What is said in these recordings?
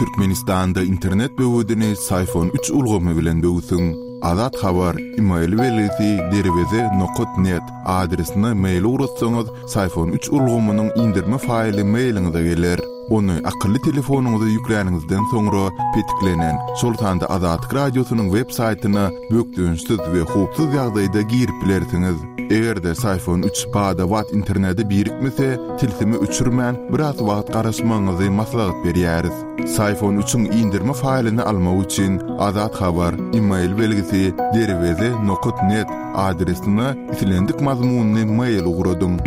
Türkmenistanda internet böwedini Syfon üç ulgamy bilen böwsüň. Azat Habar, email belgisi derweze nokat net adresine mail ugratsaňyz, Syfon üç ulgamynyň indirme faýly mailiňize geler. Ony akylly telefonyňyza ýükläniňizden soňra petiklenen, şol sanda Azatlyk Radiosynyň web saýtyna bökdençsiz we howpsuz ýagdaýda girip bilersiňiz. Eger-de Syfon üç bada-bat internete birikmese, tilsimi öçürmän, biraz wagt garaşmagyňyzy maslahat berýäris. Syfon üçiň indirme faýlyny almak üçin Azat Habar, email belgisi derweze nokat net adresine islendik mazmunly mail ugradyň.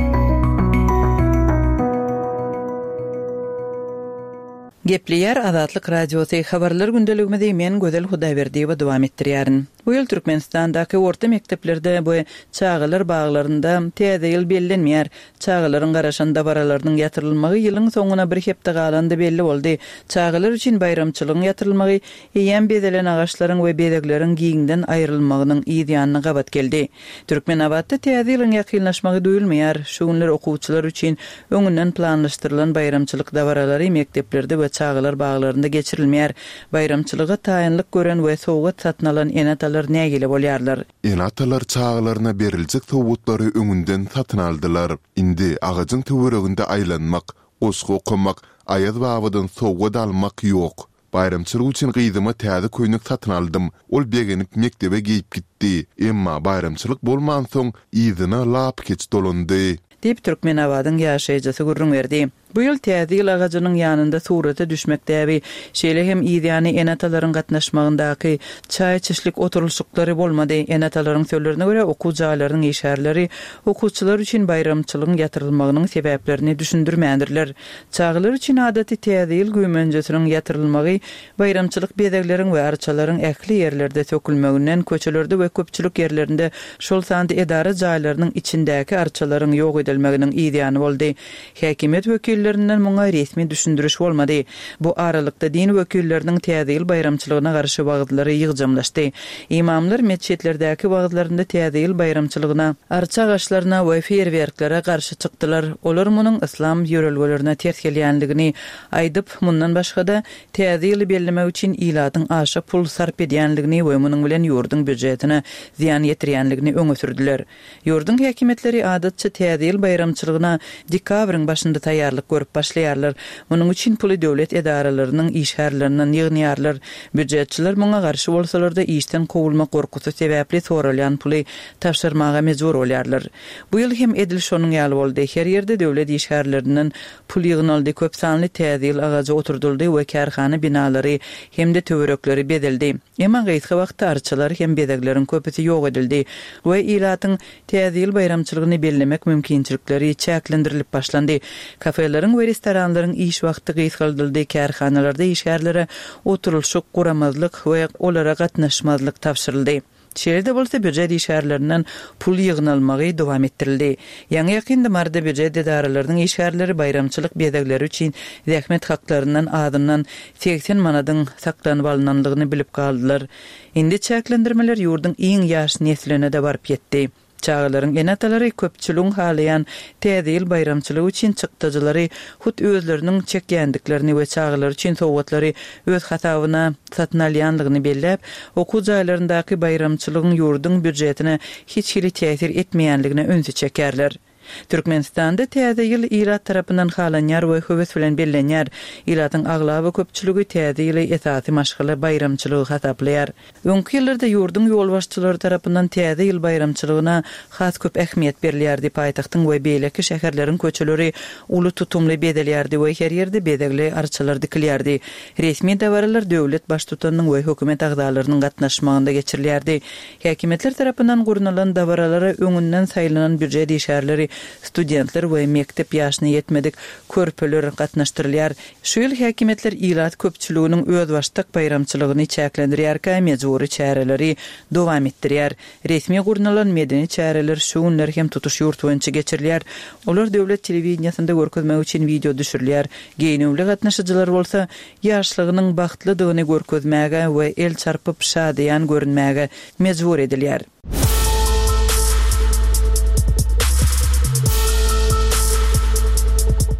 Gepleýär Azatlyk Radiosy, Habarlar gündeligimizi men Gözel Hudaýberdiýewa dowam etdirýärin. Bu ýyl Türkmenistandaky orta mekdeplerde we çagalar baglarynda Täze ýyl bellenmeýär. Çagalaryň garaşan dabaralarynyň ýatyrylmagy ýylyň soňuna bir hepde galanda belli boldy. Çagalar üçin baýramçylygyň ýatyrylmagy eýýäm bezelen agaçlaryň we bezegleriň giňden aýrylmagynyň yz ýanyna gabat geldi. Türkmenabatda Täze ýylyň ýakynlaşmagy duýulmaýar. Şu günler okuwçylar üçin öňünden planlaşdyrylan baýramçylyk dabaralary mekdeplerde we çagalar baglarynda geçirilmeýär. Baýramçylyga taýynlyk gören we sowgat satyn alan ene-atalar nägile bolýarlar. Ene-atalar çagalaryna beriljek sowgatlary öňünden satyn aldylar. Indi agajyň töwereginde aýlanmak, goşgy okamak, Aýaz babadan sowgat almak ýok. Baýramçylyk üçin gyzyma täze köýnek satyn aldym. Ol begenip mekdebe geýip gitdi. Emma baýramçylyk bolmansoň, yzyna lapykeç dolandy. Diýip, Türkmenabadyň ýaşaýjysy gürrüň berdi. Bu ýyl Täze ýyl agajynyň ýanynda surata düşmek däbi, şeýle hem yzýany ene-atalaryň gatnaşmagyndaky çaý içişlik oturylyşyklary bolmady. Ene-atalaryň sözlerine görä, okuw jaýlarynyň işgärleri okuwçylar üçin baýramçylygyň ýatyrylmagynyň sebäplerini düşündirmändirler. Çagalar üçin adaty Täze ýyl güýmenjesiniň ýatyrylmagy baýramçylyk bezegleriň we arçalaryň ähli ýerlerde sökülmeginden, köçelerde we köpçülik ýerlerinde, şol sanda edara jaýlarynyň içindäki arçalaryň ýok edilmeginiň yzýany boldy. Häkimiýet wekillerinden muňa resmi düşündiriş bolmady. Bu aralykda din wekilleriniň Täze ýyl baýramçylygyna garşy wagyzlary ýygjamlaşdy. Ymamlar metjitlerdäki wagyzlarynda Täze ýyl baýramçylygyna, arça agaçlaryna we feýerwerklere garşy çykdylar. Olar munuň yslam ýörelgelerine ters gelýändigini aýdyp, mundan başga-da, Täze ýyly bellemek üçin ilatyň aşa pul sarp edýändigini we munuň bilen ýurduň býujetine zyýan ýetirýändigini öňe sürdüler. Ýurduň häkimiýetleri adatça Täze ýyl baýramçylygyna dekabryň başynda taýýarlyk görüp başlaýarlar. Munuň üçin puly döwlet edaralarynyň işgärlerinden ýygnaýarlar. Býujetçiler muňa garşy bolsalar-da, işden kowulmak gorkusy sebäpli soralýan puly tabşyrmaga mejbur bolýarlar. Bu ýyl hem edil şonuň ýaly boldy. Her ýerde döwlet işgärlerinden pul ýygnaldy, köp sanly Täze ýyl agajy oturdyldy we kärhana binalary hem-de töwerekleri bezeldi. Emma gysga wagtda arçalar hem bezegleriň köpüsi ýok edildi we ilatyň Täze ýyl baýramçylygyny bellemek mümkinçilikleri çäklendirilip başlandy. Kafeleriň we restoranlaryň iş wagty gysgaldyldy, kärhanalarda işgärlere oturylyşyk guramazlyk we olara gatnaşmazlyk tabşyryldy. Şeýle-de bolsa, býujet işgärlerinden pul ýygnalmagy dowam etdirildi. Ýaňy-ýakynda Maryda býujet edaralarynyň işgärleri baýramçylyk bezegleri üçin zähmet haklaryndan azyndan 80 manadyň saklanyp alnandygyny bilip galdylar. Indi çäklendirmeler ýurduň iň ýaş nesline-de baryp ýetdi. Çagalaryň ene-atalary köpçüligiň halaýan Täze ýyl baýramçylygy üçin çykdajylary hut özleriniň çekýändiklerini we çagalary üçin sowgatlary öz hasabyna satyn alýandygyny belläp, okuw jaýlaryndaky baýramçylygyň ýurduň býujetine hiç hili täsir etmeýändigine ünsi çekýärler. Türkmenistanda Täze ýyl ilat tarapyndan halanýar we höwes bilen bellenýär. Ilatyň aglaba köpçüligi Täze ýyly esasy maşgala baýramçylygy hasaplaýar. Öňki ýyllarda ýurduň ýolbaşçylary tarapyndan Täze ýyl baýramçylygyna has köp ähmiýet berilýärdi, paýtagtyň we beýleki şäherleriň köçeleri uly tutumly bezelýärdi we her ýerde bezegli arçalar dikilýärdi. Resmi dabaralar döwlet Baştutanynyň we hökümet agzalarynyň gatnaşmagynda geçirilýärdi. Häkimiýetler tarapyndan gurnalan dabaralara öňünden saýlanan býujet işgärleri, studentler we mekdep ýaşyna ýetmedik körpeler gatnaşdyrylýar. Şu ýyl häkimiýetler ilat köpçüliginiň özbaşdak baýramçylygyny çäklendirýärkä mejbury çäreleri dowam etdirýär. Resmi gurnalan medeni çäreler şu günler hem tutuş ýurt boýunça geçirilýär. Olar döwlet telewideniýesinde görkezmek üçin wideo düşürilýär. Geýnüwli gatnaşyjylar bolsa ýaşlygynyň bagtlydygyny görkezmäge we el çarpyp şadyýan görünmäge mejbur edilýär.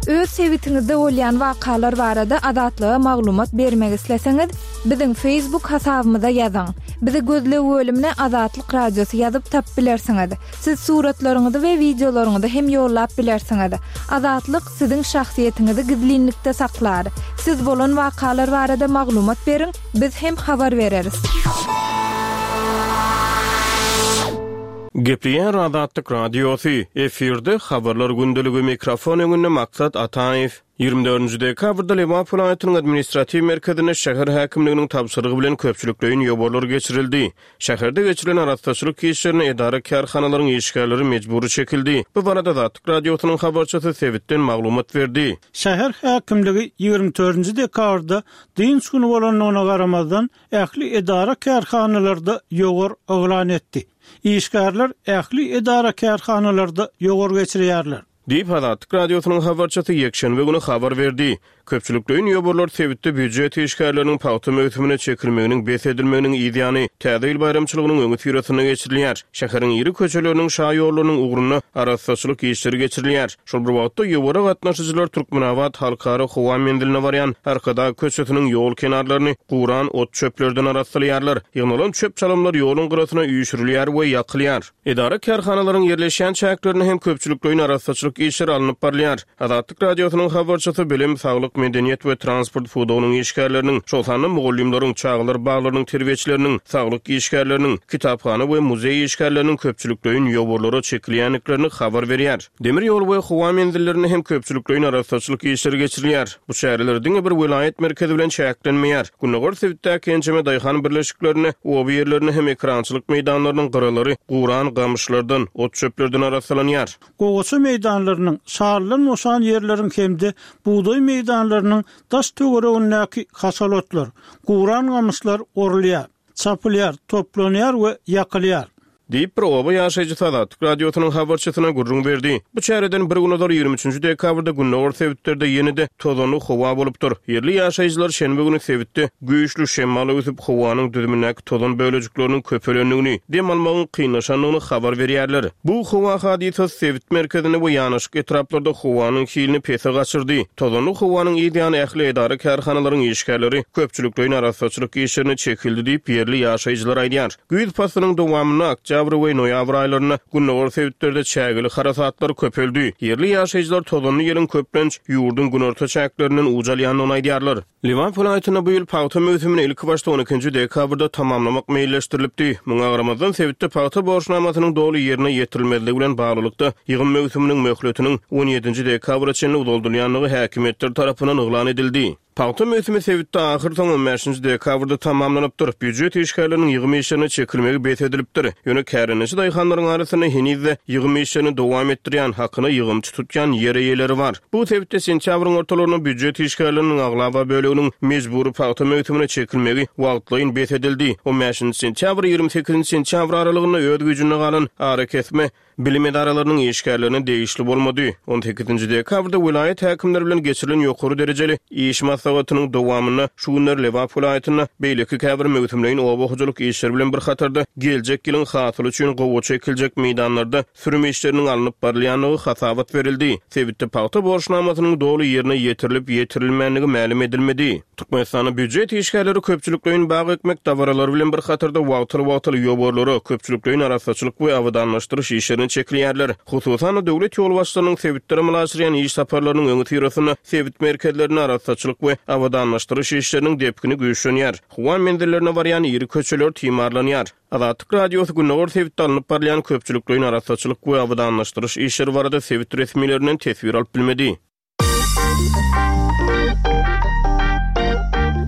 Öz sebitiňizde bolýan wakalar barada Azatlyga maglumat bermek isleseňiz, biziň Facebook hasabymyza ýazyň. Bizi gözleg bölümine Azatlyk Radiosy ýazyp tapyp bilersiňiz. Siz suratlaryňyzy we wideolaryňyzy hem ýollap bilersiňiz. Azatlyk siziň şahsyýetiňizi gizlinlikde saklar. Siz bolan wakalar barada maglumat beriň, biz hem habar bereris. Gepleýär Azatlyk Radiosy, efirde Habarlar gündeligi, mikrofon öňünde Maksat Ataýew. 24 dekabrda Lebap welaýatynyň administratiw merkezinde şäher häkimliginiň tabşyrygy bilen köpçülikleýin ýowarlar geçirildi. Şäherde geçirilen arassaçylyk işlerine edara-kärhanalaryň işgärleri mejbury çekildi. Bu barada Azatlyk Radiosynyň habarçysy sebitden maglumat berdi. Şäher häkimligi 24 dekabrda dynç güni bolandygyna garamazdan, ähli edara-kärhanalarda ýowar yglan etdi. Işgärler ähli edara-kärhanalarda ýowar geçirýärler. Diýip, Azatlyk Radiosynyň habarçysy ýekşenbe güni habar berdi. Köpçülikleýin ýowarlar sebitde býujet işgärleriniň pagta möwsümine çekilmeginiň bes edilmeginiň yz ýany, Täze ýyl baýramçylygynyň öňüsyrasynda geçirilýär. Şäheriň iri köçeleriniň, şaýollarynyň ugrunda arassaçylyk işleri geçirilýär. Şol bir wagtda, ýowara gatnaşyjylar Türkmenabat Halkara howa menziline barýan Arkadag köçesiniň ýol kenarlaryny guran ot-çöplerden arassalaýarlar. Ýygnalan çöp-çalamlar ýoluň gyrasyna üýşürilýär we ýakylýar. Edara-kärhanalaryň ýerleşýän çäklerinde hem köpçülikleýin arassaçylyk işleri alnyp barylýar. Azatlyk Radiosynyň habarçysy bilim, saglyk, medeniýet we transport pudagynyň işgärleriniň, şol sanda mugallymlaryň, çagalar baglarynyň terbiýeçileriniň, saglyk işgärleriniň, kitaphana we muzeý işgärleriniň köpçülikleýin ýowarlara çekilýändiklerini habar berýär. Demir ýol we howa menzillerinde hem köpçülikleýin arassaçylyk işleri geçirilýär. Bu çäreler diňe bir welaýat merkezi bilen çäklenmeýär. Gündogar sebitdäki ençeme daýhan birleşiklerinde, oba ýerlerinde hem ekerançylyk meýdanlarynyň gyralary guran gamyşlardan, ot-çöplerden arassalanýar. Gowaça meýdanlarynyň, şalydan boşan ýerleriň hem-de bugdaý meýdanlarynyň daş-töweregindäki haşal otlar, guran gamyşlar orulýar. Çapylýar, toplanýar we ýakylýar. Diýip, bir oba ýaşaýjysy Azatlyk Radiosynyň habarçysyna gürrüň berdi. Bu çäreden bir gün ozal, 23 dekabrda gündogar sebitlerde ýene-de tozanly howa bolupdyr. Ýerli ýaşaýjylar şenbe güni sebitde güýçli şemal öwsüp, howanyň düzümindäki tozan bölejikleriniň köpelendigini, dem almagyň kynlaşandygyny habar berýärler. Bu howa hadysasy sebit merkezinde we ýanaşyk etraplarda howanyň hilini pese gaçyrdy. Tozanly howanyň yz ýany ähli edara-kärhanalaryň işgärleri köpçülikleýin arassaçylyk işlerine çekildi diýip, ýerli ýaşaýjylar aýdýar. Güýz paslynyň dowamynda oktýabr we noýabr aýlarynda gündogar sebitlerde çägeli harasatlar köpeldi. Ýerli ýaşaýjylar tozanly ýeliň köplenç ýurduň günorta çäklerinden uç alýandygyny aýdýarlar. Lebap welaýatynda bu ýyl pagta möwsümini ilkibaşda on ikinji dekabrda tamamlamak meýilleşdirilipdi. Muňa garamazdan, sebitde pagta borçnamasynyň doly ýerine ýetirilmezligi bilen baglylykda, ýygym möwsüminiň möhletiniň on ýedinji dekabra çenli uzaldylýandygy häkimiýetler tarapyndan yglan edildi. Pagta möwsümi sebitde ahyrsoňy on bäşinji dekabrda tamamlanypdyr. Býujet işgärleriniň ýygym işlerine çekilmegi bes edilipdir. Ýöne kärendeçi daýhanlaryň arasynda heniz-de ýygym işlerini dowam etdirýän, hakyna ýygymçy tutýan ýer eýeleri bar. Bu sebitde sentýabryň ortalarynda býujet işgärleriniň aglaba böleginiň mejbury pagta möwsümine çekilmegi wagtlaýyn bes edildi. On bäşinji sentýabr, 28 nji sentýabr aralygynda öz güýjünde galan arakesme bilim edaralarynyň işgärlerine degişli bolmady. On sekizinji dekabrda welaýat häkimleri bilen geçirilen ýokary derejeli iş maslahatynyň dowamynda şu günler Lebap welaýatynda beýleki käbir möwsümleýin oba hojalyk işleri bilen bir hatarda geljek ýylyň hasyly üçin gowaça ekiljek meýdanlarda sürüm işleriniň alnyp barylýandygy hasabat berildi. Sebitde pagta borçnamasynyň doly ýerine ýetirilip ýetirilmändigi mälim edilmedi. Türkmenistanda býujet işgärleri köpçülikleýin bag ekmek dabaralary bilen bir hatarda wagtal-wagtal ýowarlara, köpçülikleýin arassaçylyk we abadanlaşdyryş işlerine çekilýärler. Hususan-da, döwlet ýolbaşçylarynyň sebitlere amala aşyrýan iş saparlarynyň öňüsyrasynda sebit merkezlerinde arassaçylyk we abadanlaşdyryş işleriniň depgini güýçlenýär. Howa menzillerine barýan iri köçeler timarlanýar. Azatlyk Radiosy gündogar sebitde alnyp barylýan köpçülikleýin arassaçylyk we abadanlaşdyryş işleri barada sebit resmilerinden teswir alyp bilmedi.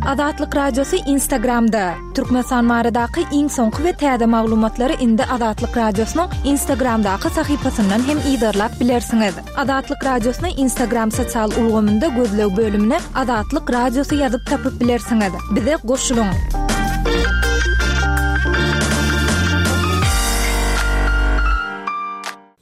Azatlyk Radiosy Instagramda, Türkmenistan baradaky iň soňky we täze maglumatlary indi Azatlyk Radiosynyň Instagramdaky sahypasyndan hem yzarlap bilersiňiz. Azatlyk Radiosyny Instagram sosial ulgamynda gözleg bölümine Azatlyk Radiosy ýazyp tapyp bilersiňiz. Bize goşulyň!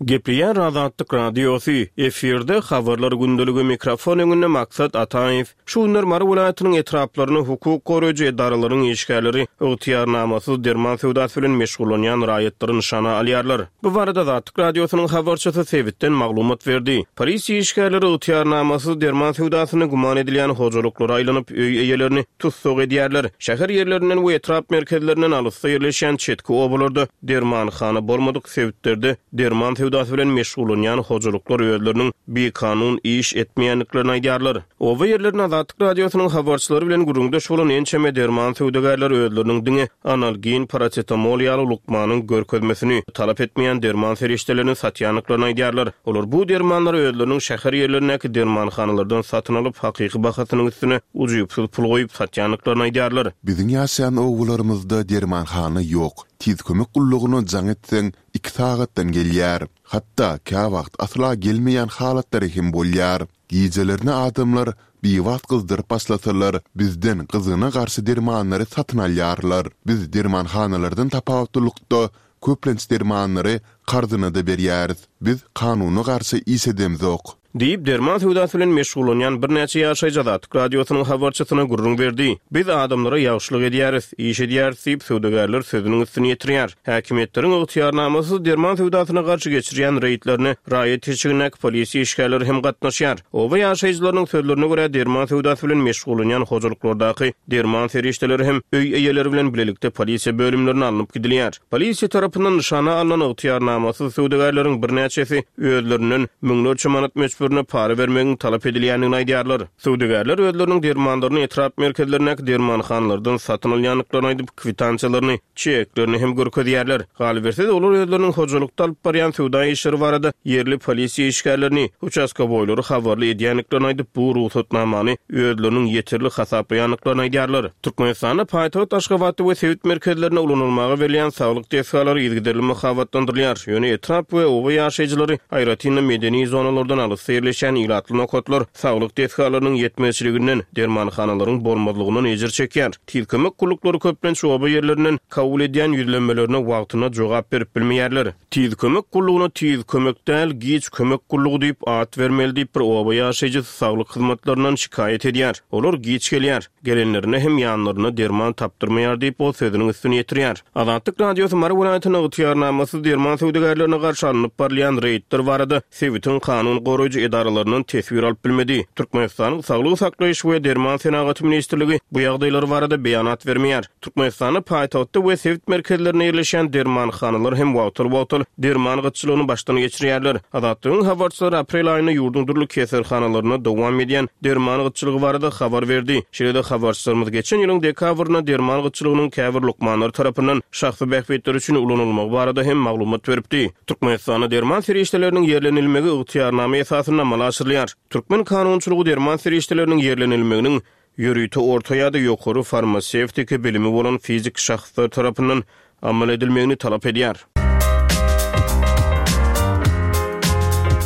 Gepleýär Azatlyk Radiosy, efirde Habarlar gündeligi, mikrofon öňünde Maksat Ataýew. Şu günler Mary welaýatynyň etraplarynda hukuk goraýjy edaralaryň işgärleri ygtyýarnamasyz derman söwdasy bilen meşgullanýan raýatlary nyşana alýarlar. Bu barada Azatlyk Radiosynyň habarçysy sebitden maglumat berdi. Polisiýa işgärleri ygtyýarnamasyz derman söwdasynda güman edilýän hojalyklara aýlanyp, öý eýelerini tussag edýärler. Şäher ýerlerinden we etrap merkezlerinden alysda ýerleşýän çetki obalarda dermanhana bolmadyk sebitlerde derman söwdasy bilen meşgullanýan hojalyklar özleriniň bikanun iş etmeýändiklerini aýdýarlar. Oba ýerlerinde Azatlyk Radiosynyň habarçylary bilen gürrüňdeş bolan ençeme derman söwdagärleri özleriniň diňe analgin, parasetamol ýaly lukmanyň görkezmesini talap etmeýän derman serişdelerini satýandyklaryny aýdýarlar. Olar bu dermanlary özleriniň şäher ýerlerindäki dermanhanalardan satyn alyp, hakyky bahasynyň üstüne ujypsyz pul goýup satýandyklaryny aýdýarlar. Biziň ýaşaýan obalarymyzda dermanhana ýok. Tiz kömek gullugyna jaň etseň, iki sagatdan gelýär. Hatda käwagt asla gelmeýän halatlary hem bolýar. Gijelerine adamlar biwagt gyzdyryp başlasalar, bizden gyzgyna garşy dermanlary satyn alýarlar. Biz dermanhanalardan tapawutlylykda, köplenç dermanlary karzyna-da berýäris. Biz kanuna garşy iş edemzok. Diýip, derman söwdasy bilen meşgullanýan birnäçe ýaşaýjy Azatlyk Radiosynyň habarçysyna gürrüň berdi. Biz adamlara ýagşylyk edýäris, iş edýäris diýip, söwdagärler sözüniň üstüni ýetirýär. Häkimiýetleriň ygtyýarnamasyz derman söwdasyna garşy geçirýän reýdlerine raýat eşigindäki polisiýa işgärleri hem gatnaşýar. Oba ýaşaýjylarynyň sözlerine görä, derman söwdasy bilen meşgullanýan hojalyklardaky derman serişdeleri hem öý eýeleri bilen bilelikde polisiýa bölümlerine alnyp gidilýär. Polisiýa tarapyndan nyşana alnan ygtyýarnamasyz söwdagärleriň birnäçesi özlerinden müňlerçe manat möçberinde para bermegiň talap edilýändigini aýdýarlar. Söwdagärler özleriniň dermanlaryny etrap merkezlerindäki dermanhanalardan satyn alýandyklaryny aýdyp, kwitansiýalaryny, çeklerini hem görkezýärler. Galyberse-de, olar özleriniň hojalykda alyp barýan söwda işleri barada ýerli polisiýa işgärlerini, uçastkowoýlary habarly edýändiklerini aýdyp, bu rugsatnamany özleriniň ýeterli hasaplaýandyklaryny aýdýarlar. Türkmenistanda paýtagt Aşgabatda we sebit merkezlerinde ulanylmaga berilýän saglyk desgalary yzygiderli mahabatlandyrylýar. Ýöne etrap we oba ýaşaýjylary, aýratyn-da medeni zonalardan alysda ýerleşýän ilatly nokatlar saglyk desgalarynyň ýetmezçiliginden, dermanhanalaryň bolmazlygyndan ejir çekýär. Tiz kömek gulluklary köplenç oba ýerlerinden kabul edýän ýüzlenmelerine wagtynda jogap berip bilmeýärler. Tiz kömek gullugyna tiz kömek däl, giç kömek gullugy diýip at bermeli diýip bir oba ýaşaýjysy saglyk hyzmatlaryndan şikaýat edýär. Olar giç gelýär. Gelenlerinde hem ýanlarynda derman tapdyrmaýar diýip, ol sözüniň üstüni ýetirýär. Azatlyk Radiosy Mary welaýatynda ygtyýarnamasyz derman söwdagärlerine garşy alnyp barylýan reýdler barada sebitiň kanun goraýjy edaralaryndan teswir alyp bilmedi. Türkmenistanyň Saglygy saklaýyş we derman senagaty ministrligi bu ýagdaýlar barada beýanat bermeýär. Türkmenistanda paýtagtda we sebit merkezlerinde ýerleşýän dermanhanalar hem wagtal-wagtal derman gytçylygyny başdan geçirýärler. Azatlygyň habarçylary aprel aýynda ýurduň dürli keselhanalarynda dowam edýän derman gytçylygy barada habar berdi. Şeýle-de habarçylarymyz geçen ýylyň dekabrynda derman gytçylygynyň käbir lukmanlar tarapyndan şahsy bähbitler üçin ulanylmagy barada hem maglumat beripdi. Türkmenistanda derman serişdeleriniň ýerlenilmegi ygtyýarnama esasynda amala aşyrylýar. Türkmen kanunçylygy derman serişdeleriniň ýerlenilmeginiň ýörite orta ýa-da ýokary farmasewtiki bilimi bolan fiziki şahslar tarapyndan amal edilmegini talap edýär.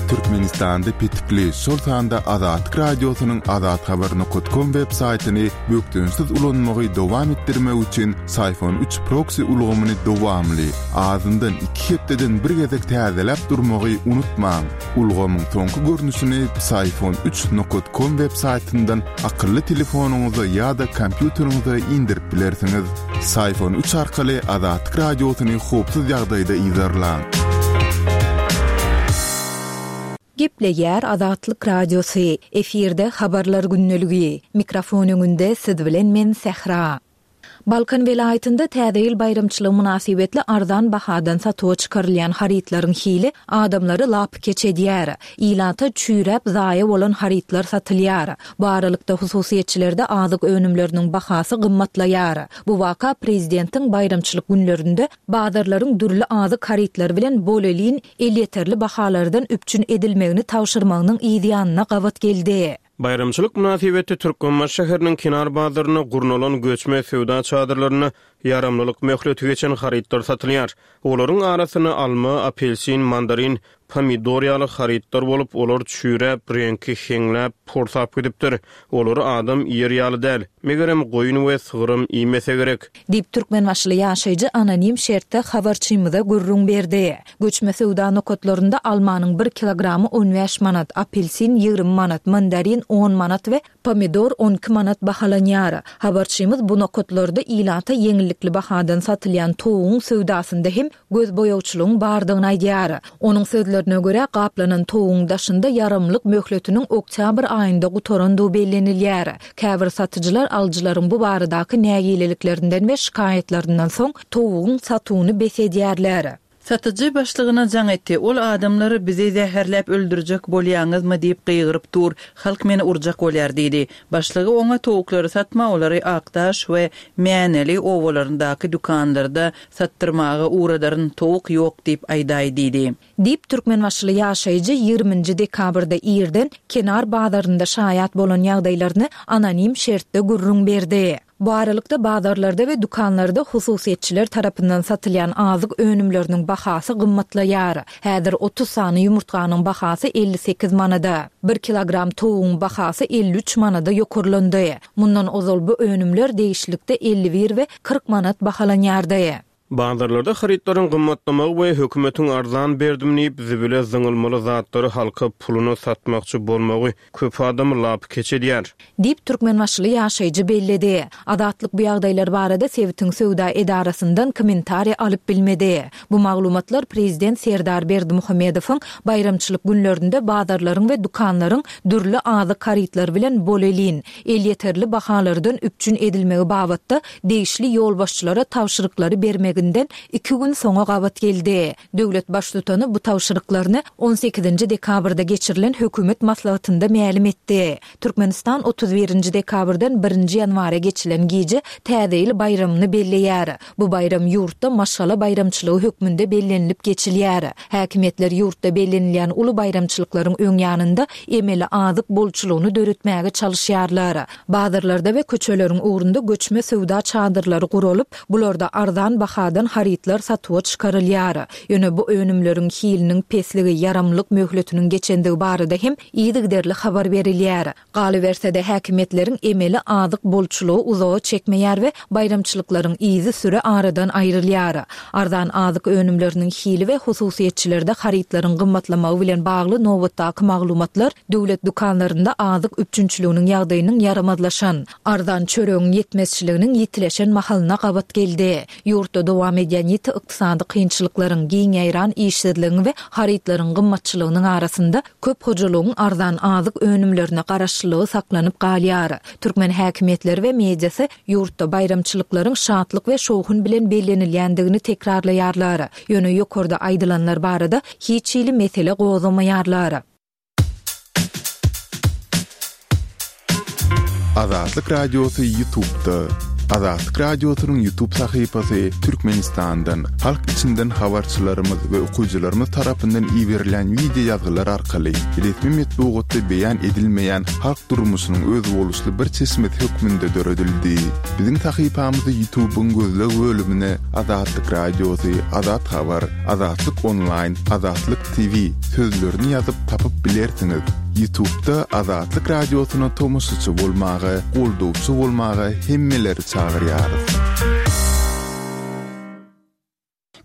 Türkmenistanda petikli, şol sanda Azatlyk Radiosynyň azathabar nokat kom web saýtyny bökdençsiz ulanmagy dowam etdirmek üçin Syfon üç proksi ulgamyny dowamly, azyndan iki hepdeden bir gezek täzeläp durmagy unutmaň. Ulgamyň soňky görnüşini Psiphon üç nokat kom web saýtyndan akylly telefonyňyza ýa-da kompýuteriňize indirip bilersiňiz. Psiphon üç arkaly Azatlyk Radiosyny howpsuz ýagdaýda yzarlaň. Gepleýär Azatlyk Radiosy, efirde Habarlar gündeligi. Mikrofon öňünde siz bilen men Sähra. Balkan welaýatynda Täze ýyl baýramçylygy mynasybetli arzan bahadan satuwa çykarylýan harytlaryň hili adamlary lapykeç edýär. Ilata çüýräp zaýa bolan harytlar satylýar. Bu aralykda hususyýetçilerde azyk önümleriniň bahasy gymmatlaýar. Bu waka prezidentiň baýramçylyk günlerinde bazarlaryň dürli azyk harytlary bilen bolelin elýeterli bahalardan üpjün edilmegini tabşyrmagynyň yzýanyna gabat geldi. Baýramçylyk mynasybetli Türkmenbaşy şäheriniň kenar bazarynda gurnalan göçme söwda çadyrlarynda ýaramlylyk möhleti geçen harytlar satylýar. Olaryň arasynda alma, apelsin, mandarin. pomidor ýaly harytlar bolup, olar çüýräp, reňki heňläp, porsap gidipdir. Olary adam iýer ýaly däl. Megerem, goýun we sygyram iýmese gerek. Diýip, türkmenbaşyly ýaşaýjy anonim şertde habarçymyza gürrüň berdi. Göçme söwda nokatlarynda almanyň bir kilogramy on bäş manat, apelsin 20 manat, mandarin on manat we pomidor 12 manat bahalanýar. Habarçymyz bu nokatlarda ilata ýeňillikli bahadan satylýan towugyň söwdasynda hem gözboýagçylygyň bardygyny aýdýar. Onuň sözlerine görä, gaplanan towugyň daşynda ýaramlyk möhletiniň oktýabr aýynda gutarandygy bellenilýär. Käbir satyjylar alyjylaryň bu baradaky nägileliklerinden we şikaýatlaryndan soň towugyň satuwyny bes edýärler. Satyjy başlygyna jaň etdi. Ol adamlar bizi zäherläp öldürjek bolýaňyzmy diýip gygyryp dur, halk meni urjak bolýar diýdi. Başlygy oňa towuklary satma, olary Akdaş we Mäneli obalaryndaky dükanlarda satdyrmaga ugradaryn, towuk ýok diýip aýdaý diýdi. Diýip, türkmenbaşyly ýaşaýjy 20 nji dekabrda irden Kenar bazarynda şaýat bolan ýagdaýlaryny anonim şertde gürrüň berdi. Bu aralykda, bazarlarda we dükanlarda hususyýetçiler tarapyndan satylýan azyk önümleriniň bahasy gymmatlaýar. Häzir 30 sany ýumurtganyň bahasy 58 manada, bir kilogram towugyň bahasy 53 manada ýokarlandy. Mundan ozal bu önümler degişlilikde 51 we 40 manat bahalanýardy. Bazarlarda harytlaryň gymmatlamagy we hökümetiň arzan berdim diýip, zibile zyňylmaly zatlary halka puluna satmakçy bolmagy köp adamy lapykeç edýär. Diýip, türkmenbaşyly ýaşaýjy belledi. Azatlyk bu ýagdaýlar barada sebitiň söwda edarasyndan kommentariý alyp bilmedi. Bu maglumatlar prezident Serdar Berdimuhamedowyň baýramçylyk günlerinde bazarlaryň we dükanlaryň dürli azyk harytlary bilen bolelin, elýeterli bahalardan üpjün edilmegi babatda degişli ýolbaşçylara tabşyryklary bermeginden iki gün soňa gabat geldi. Döwlet Baştutany bu tabşyryklaryny on sekizinji dekabrda geçirilen hökümet maslahatynda mälim etdi. Türkmenistan otuz birinji dekabrdan birinji ýanwara geçilen gije Täze ýyl baýramyny belleýär. Bu baýram ýurtda maşgala baýramçylygy hökmünde bellenilip geçilýär. Häkimiýetler ýurtda bellenilýän uly baýramçylyklaryň öň ýanynda emeli azyk bolçulygyny döretmäge çalyşýarlar. Bazarlarda we köçeleriň ugrunda göçme söwda çadyrlary guralyp, bularda arzan bahadan harytlar satuwa çykarylýar. Ýöne bu önümleriň hiliniň pesligi, ýaramlylyk möhletiniň geçendigi barada hem yzygiderli habar berilýär. Galyberse-de, häkimiýetleriň emeli azyk bolçulygy uzaga çekmeýär we baýramçylyklaryň yzysüre aradan aýrylýar. Arzan azyk önümleriniň hili we hususyýetçilerde harytlaryň gymmatlamagy bilen bagly nobatdaky maglumatlar döwlet dükanlarynda azyk üpjünçiliginiň ýagdaýynyň ýaramazlaşan, arzan çöregiň ýetmezçiliginiň ýitileşen mahalyna gabat geldi. Ýurtda dowam edýän ýiti ykdysady kynçylyklaryň, giň ýaýran işsizligiň we harytlaryň gymmatçylygynyň arasynda Köp hojalygyň arzan azyk önümlerine garaşlylygy saklanyp galýar. Türkmen häkimiýetleri we mediasy ýurtda baýramçylyklaryň şatlyk we şowhun bilen bellenilýändigini tekrarlaýarlar. Ýöne ýokarda aýdylanlar barada hiç hili mesele gozgamaýarlar. Azatlyk Radiosy Ýutubda. Azatlyk Radiosynyň Ýutub sahypasy Türkmenistandan, halk içinden habarçylarymyz we okyjylarymyz tarapyndan iberilýän wideo ýazgylar arkaly resmi metbugatda beýan edilmeýän halk durmuşynyň özboluşly bir çeşmesi hökmünde döredildi. Biziň sahypamyzy Ýutubyň gözleg bölümine Azatlyk Radiosy, Azat Habar, Azatlyk Onlaýn, Azatlyk TV sözlerini ýazyp tapyp bilersiňiz. Ýutubda Azatlyk Radiosyna tomaşaçy bolmaga, goldawçy bolmaga hemmeleri çagyrýarys.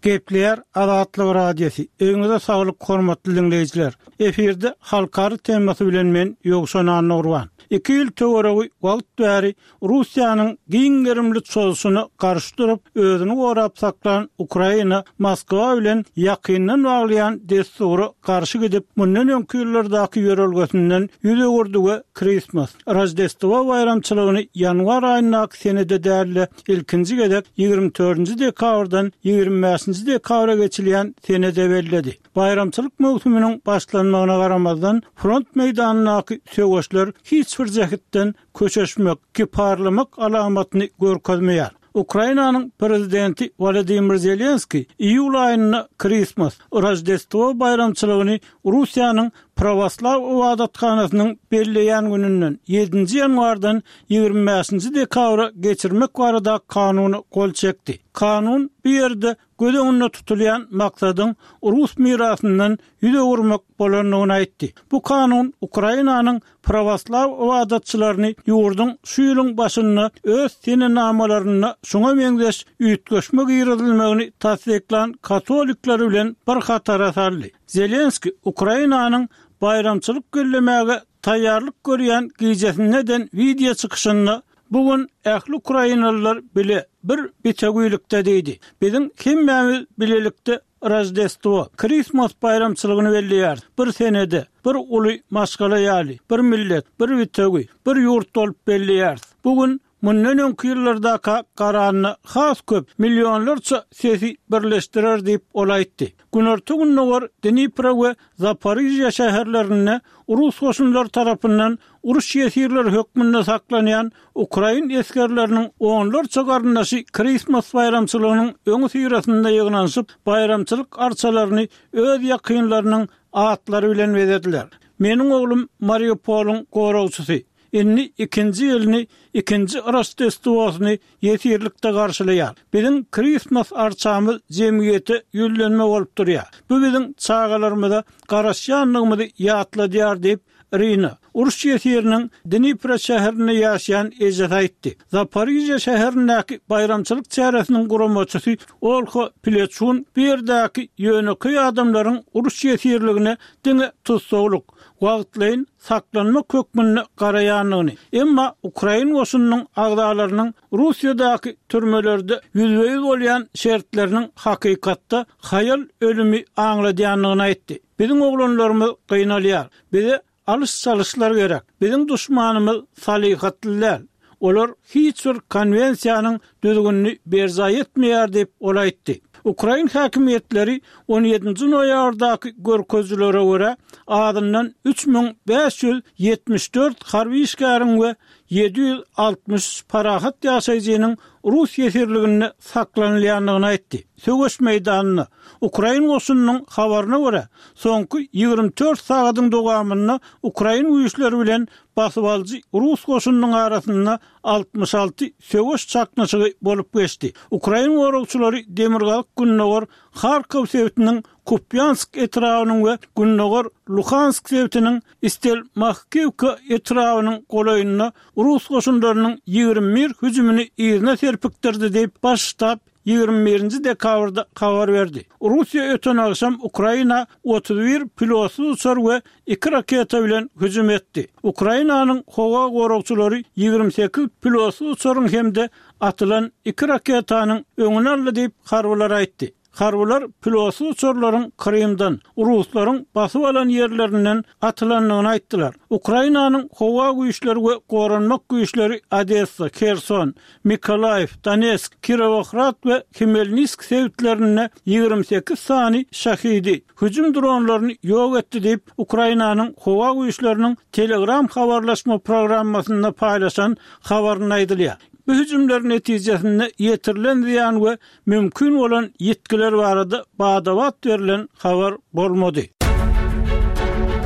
Gepleýär Azatlyk Radiosy. Öýüňize saglyk hormatly diňleýjiler. Efirde halkara temasy bilen men Ýowşan Annagurban. Iki ýyl töweregi wagt bäri Russiýanyň giň gerimli çozuşyna garşy durup, özüni gorap saklan Ukraina Moskwa bilen ýakyndan baglaýan dessura garşy gidip, mundan öňki ýyllardaky ýörelgesinden ýüz öwürdi we Kristmas, Roždestwo baýramçylygyny ýanwar aýyndaky senede däl-de, ilkinji gezek 24-nji dekabrdan 25-nji dekabra geçilýän senede belledi. Baýramçylyk möwsüminiň başlanmagyna garamazdan, front meýdanyndaky söweşler hiç bir jähtden köşeşmek, kiparlamak alamatyny görkezmeýär. Ukrainanyň prezidenti Wolodymyr Zelenskiý iýul aýynda Kristmas, Roždestwo baýramçylygyny Russiýanyň Prawoslaw ybadathanasynyň belleýän gününden, ýedinji ýanwardan 25-nji dekabra geçirmek barada kanuna gol çekdi. Kanun bu ýerde göz öňünde tutulýan maksadyň rus mirasyndan ýüz öwürmek bolandygyny aýtdy. Bu kanun Ukrainanyň prawoslaw ybadatçylaryny ýurduň şu ýylyň başynda öz senenamalarynda şuňa meňzeş üýtgeşme girizilmegini tassyklan katolikler bilen bir hatara saldy. Zelenskiý Ukrainanyň baýramçylyk bellemäge taýýarlyk görýän gijesinde eden wideo çykyşynda Bu gün ähli ukrainalylar bile, bir bitewilikde diýdi. Biziň hemmämiz bilelikde Roždestwo, Krismas baýramçylygyny belleýäris. Bir senede, bir uly maşgala ýaly, bir millet, bir bitewi, bir ýurt bolup belleýäris. Bu gün mundan öňki ýyllardaka garanda has köp, millionlarça sesi birleşdirer diýip, ol aýtdy. Günorta-gündogar Dnipro we Zaporižýa şäherlerinde rus goşunlary tarapyndan uruş ýesirleri hökmünde saklanýan ukrain esgerleriniň onlarça garyndaşy Krismas baýramçylygynyň öňüsyrasynda ýygnanyşyp, baýramçylyk arçalaryny öz ýakynlarynyň atlary bilen bezediler. Meniň oglum Mariupolyň goragçysy. Indi ikinji ýylyny, ikinji Roždestwosyny ýesirlikde garşylaýar. Biziň Krismas arçamyz jemgyýete ýüzlenme bolup durýar. Bu biziň çagalarymyza garaşýandygymyzy ýatladýar diýip, Irina, uruş ýesiriniň Dnipro şäherinde ýaşaýan ejesi aýtdy. Zaporižýa şäherindäki baýramçylyk çäresiniň guramaçysy Olha Pleçun bu ýerdäki ýönekeý adamlaryň uruş ýesirligine diňe tussaglyk, wagtlaýyn saklanmak hökmünde garaýandygyny, emma ukrain goşunynyň agzalarynyň Russiýadaky türmelerde ýüzbe-ýüz bolýan şertleriniň hakykatda haýal ölümi aňladýandygyny aýtdy. Biziň oglanlarymyz gynalýar. Bize alyş-çalyşlar gerek. Biziň duşmanymyz salyhatly däl. Olar hiç bir konwensiýanyň düzgünini berjaý etmeýär diýip, ol aýtdy. Ukrain häkimiýetleri on ýedinji noýabrdaky görkezijilere görä, azyndan 3574 harby işgäriň we 763 parahat ýaşaýjynyň rus ýesirliginde saklanylýandygyny aýtdy. Söweş meýdanynda, ukrain goşunynyň habaryna görä, soňky 24 sagadyň dowamynda ukrain güýçleri bilen basybalyjy rus goşunynyň arasynda 66 söweş çaknyşygy bolup geçdi. Ukrain goragçylary demirgazyk-gündogar Harkow sebitiniň Kupýansk etrabynyň we gündogar Luhansk sebitiniň Stelmahkiwka etrabynyň golaýynda rus goşunlarynyň 21 hüjümini yzyna serpikdirdi diýip, Baş ştab 21-nji dekabrda habar berdi. Russiýa öten agşam Ukraina 31 pilotsyz uçar we iki raketa bilen hüjüm etdi. Ukrainanyň howa goragçylary 28 pilotsyz uçaryň hem-de atylan iki raketanyň öňüni aldy diýip, harbylar aýtdy. Harbylar pilotsyz uçarlaryň Krymdan, ruslaryň basyp alan ýerlerinden atylandygyny aýtdylar. Ukrainanyň howa güýçleri we goranmak güýçleri Odessa, Herson, Mykolaýiw, Donetsk, Kirowohrad we Hmelnisk sebitlerinde 28 sany Şahidi, hüjüm dronlaryny ýok etdi diýip, Ukrainanyň howa güýçleriniň Telegram habarlaşma programmasynda paýlaşan habarynda aýdylýar. Bu hüjümler netijesinde ýetirilen zyýan we mümkin bolan ýitgiler barada bada-bat berlen habar bolmady.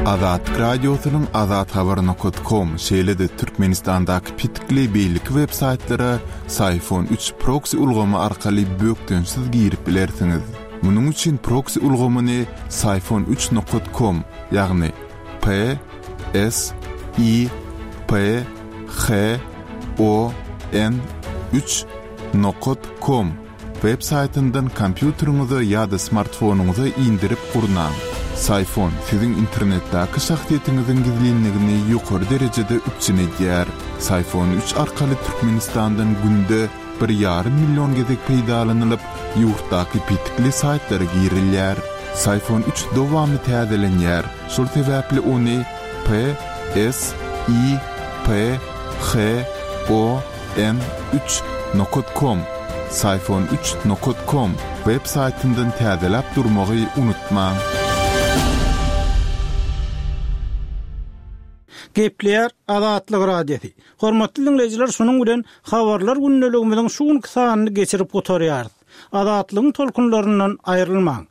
Azatlyk Radiosynyň azathabar nokat kom, şeýle-de Türkmenistandaky petikli beýleki web saýtlara Syfon üç proksi ulgamy arkaly bökdençsiz girip bilersiňiz. Munuň üçin proksi ulgamyny syfon üç nokat kom, ýagny P S I P H O N üç Nokat kom web saýtyndan kompýuteriňize ýa-da smartfonyňyza indirip gurnaň. Syfon siziň internetdäki şahsyýetiňiziň gizlinligini ýokary derejede üpjün edýär. Syfon üç arkaly Türkmenistandan günde bir ýarym million gezek peýdalanylyp, ýurtdaky petikli saýtlara girilýär. Syfon üç dowamly täzelenýär, şol sebäpli ony P S I P H O N üç nokat kom Syfon üç nokat kom web saýtyndan täzeläp durmagy unutmaň. Gepleýär Azatlyk Radiosy. Hormatly diňleýjiler şunuň bilen Habarlar gündeligimiziň şu günki sanyny geçirip gutarýarys. Azatlygyň tolkunlaryndan aýrylmaň.